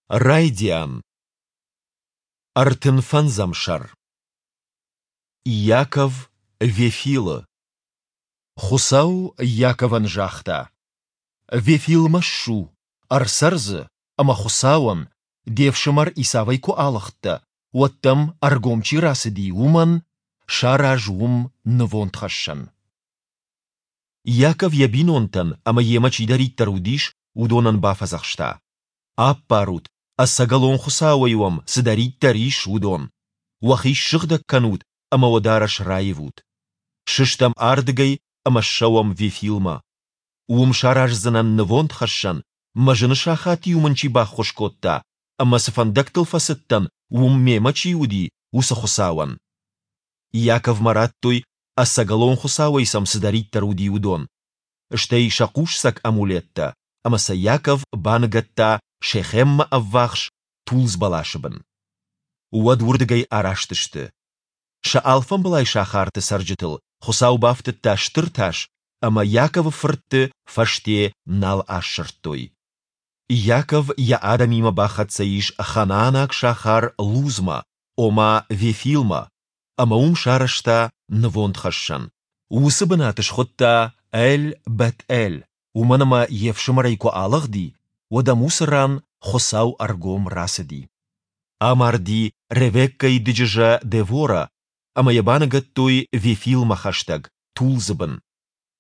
Райдиан. 35 сӕр. Иаков Вефилы. Хуыцау Иаковӕн загъта: Вефилмӕ ссу, ӕрцӕр дзы, ӕмӕ Хуыцауӕн, де фсымӕр Исавӕй куы алыгъдтӕ, уӕд дӕм ӕргом чи рацыди, уымӕн сараз уым нывондхӕссӕн. Иаков йӕ бинонтӕн ӕмӕ йемӕ чидӕриддӕр уыдис, уыдонӕн бафӕдзӕхста: Аппарут, ӕцӕгӕлон Хуыцауӕй уӕм цыдӕриддӕр ис, уыдон. Уӕхи ссыгъдӕг кӕнут ӕмӕ уӕ дарӕс раивут. Сыстӕм ардыгӕй ӕмӕ ссӕуӕм Вефилмӕ. Уым сараздзынӕн нывондхӕссӕн, мӕ зыны сахат-иу мын чи баххуыс кодта ӕмӕ цы фӕндӕгтыл фӕцыдтӕн, уым мемӕ чи уыди, уыцы Хуыцауӕн. Иаковмӕ радтой, ӕцӕгӕлон Хуыцауӕй сӕм цыдӕриддӕр уыди, уыдон, стӕй сӕ хъусцӕг амулеттӕ, ӕмӕ сӕ Иаков баныгӕдта Шехеммӕ ӕввахс тулдз бӕласы бын. Уӕд уырдыгӕй араст сты. Сӕ алфамбылай сахарты цӕрджытыл Хуыцау бафтыдта стыр тас, ӕмӕ Иаковы фыртты фӕсте нал ассырдтой. Иаков йӕ адӕмимӕ бахӕццӕ ис ханаанаг сахар Лузмӕ, ома Вефилмӕ, ӕмӕ уым сарӕзта нывондхӕссӕн. Уыцы бынат схуыдта Эль-Бет-Эль, уымӕн ӕмӕ йе фсымӕрӕй куы алыгъди, уӕд ӕм уыцы ран Хуыцау ӕргом рацыди. Амарди Ревеккӕйы дыджызӕ Девора, ӕмӕ йӕ баныгӕдтой Вефилмӕ хӕстӕг, тулдзы бын.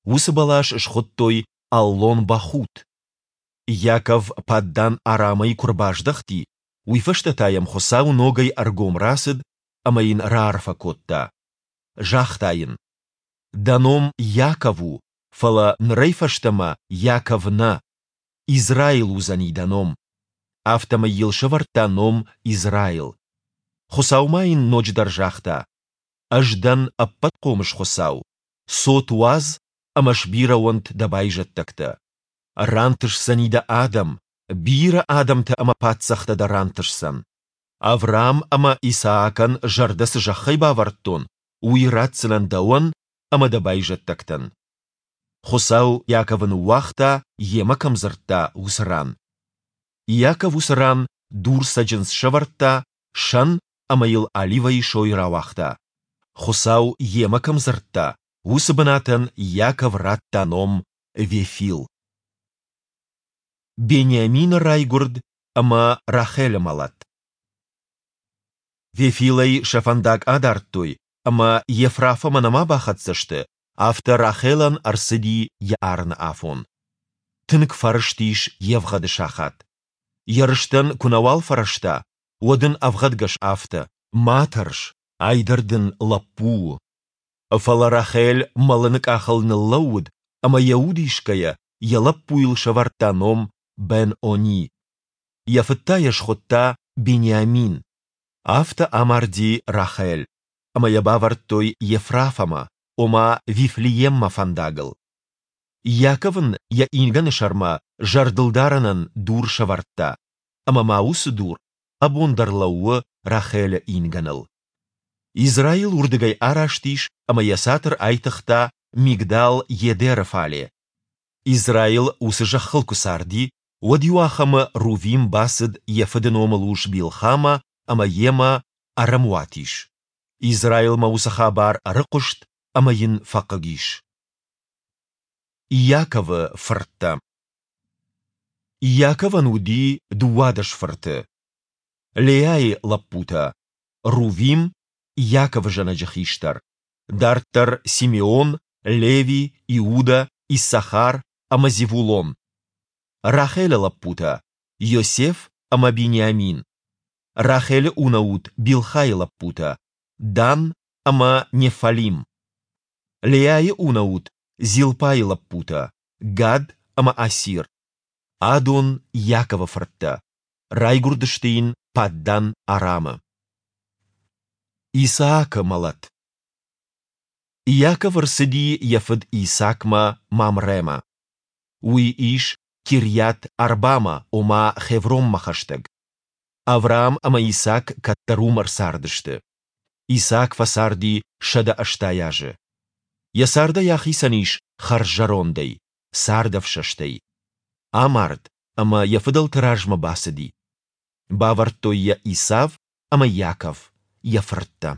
Уыцы бӕлас схуыдтой Аллон-Бахут. Иаков Паддан-Арамӕй куы рбаздӕхти, уый фӕстӕ та йӕм Хуыцау ногӕй ӕргом рацыд ӕмӕ йын раарфӕ кодта. Загъта йын: Дӕ ном Иаков у, фӕлӕ нырӕй фӕстӕмӕ Иаков нӕ, Израил уыдзӕни дӕ ном. Афтӕмӕй йыл сӕвӕрдта ном Израил. Хуыцау ма йын ноджыдӕр загъта: Ӕз дӕн Ӕппӕтхъомыс Хуыцау, цот уадз ӕмӕ сбирӕ уӕнт дӕ байзӕддӕгтӕ. Рантысдзӕни дӕ адӕм, бирӕ адӕмтӕ ӕмӕ паддзӕхтӕ дӕ рантысдзӕн. Авраам ӕмӕ Исаакӕн зӕрдӕ цы зӕххӕй бавӕрдтон, уый ратдзынӕн дӕуӕн ӕмӕ дӕ байзӕддӕгтӕн. Хуыцау Иаковы ныууагъта, йемӕ кӕм дзырдта, уыцы ран. Иаков уыцы ран дурцӕджындз сӕвӕрдта, сӕн ӕмӕ йыл оливӕйы сой рауагъта. Хуыцау йемӕ кӕм дзырдта, уыцы бынатӕн Иаков радта ном Вефил. Бениамины райгуырд ӕмӕ Рахелы мӕлӕт. Вефилӕй сӕ фӕндаг адардтой ӕмӕ Ефрафӕмӕ нӕма бахӕццӕ сты, афтӕ Рахелӕн ӕрцыди йӕ арыны афон. Тынг фӕрыстис йе вгъӕды сахат. Йӕ рыстӕн куы нӕуал фӕрӕзта, уӕд ын ӕвгъӕдгӕс афтӕ: Ма тӕрс, ай дӕр дын лӕппу у. Фӕлӕ Рахель мӕлыны къахыл ныллӕууыд ӕмӕ йӕ уд исгӕйӕ йӕ лӕппуйыл сӕвӕрдта ном Бен-Они. Йӕ фыд та йӕ схуыдта Бениамин. Афтӕ амарди Рахель, ӕмӕ йӕ бавӕрдтой Ефрафӕмӕ, ома Вифлееммӕ фӕндагыл. Иаков ын йӕ ингӕны сӕрмӕ зӕрдылдарӕнӕн дур сӕвӕрдта, ӕмӕ ма уыцы дур абон дӕр лӕууы Рахелы ингӕныл. Израил уырдыгӕй араст ис ӕмӕ йӕ цатыр айтыгъта Мигдал-Едеры фале. Израил уыцы зӕххыл куы царди, уӕд иуахӕмы Рувим бацыд йӕ фыды номылус Билхамӕ ӕмӕ йемӕ ӕрӕмуат ис. Израилмӕ уыцы хабар ӕрыхъуыст ӕмӕ йын фӕхъыг ис. Иаковы фырттӕ. Иаковӕн уыди 12 фырты. Леайы лӕппутӕ: Рувим, Иаковы зӕнӕджы хистӕр, дарддӕр Симеон, Леви, Иуда, Иссахар ӕмӕ Зевулон. Рахелы лӕппутӕ: Йосеф ӕмӕ Бениамин. Рахелы унӕут Билхайы лӕппутӕ: Дан ӕмӕ Неффалим. Леайы унӕут Зилпайы лӕппутӕ: Гад ӕмӕ Асир. Адон Иаковы фырттӕ. Райгуырдысты йын Паддан-Арамы. Исаакы мӕлӕт. Иаков ӕрцыди йӕ фыд Исаакмӕ Мамрӕмӕ. Уый ис Кирйат-Арбамӕ, ома Хевронмӕ хӕстӕг. Авраам ӕмӕ Исаак кӕддӕр уым ӕрцардысты. Исаак фӕцарди 180 азы. Йӕ цардӕй ахицӕн ис хӕрззӕрондӕй, цардӕфсӕстӕй. Амард ӕмӕ йӕ фыдӕлты размӕ бацыди. Бавӕрдтой йӕ Исав ӕмӕ Иаков, йӕ фырттӕ.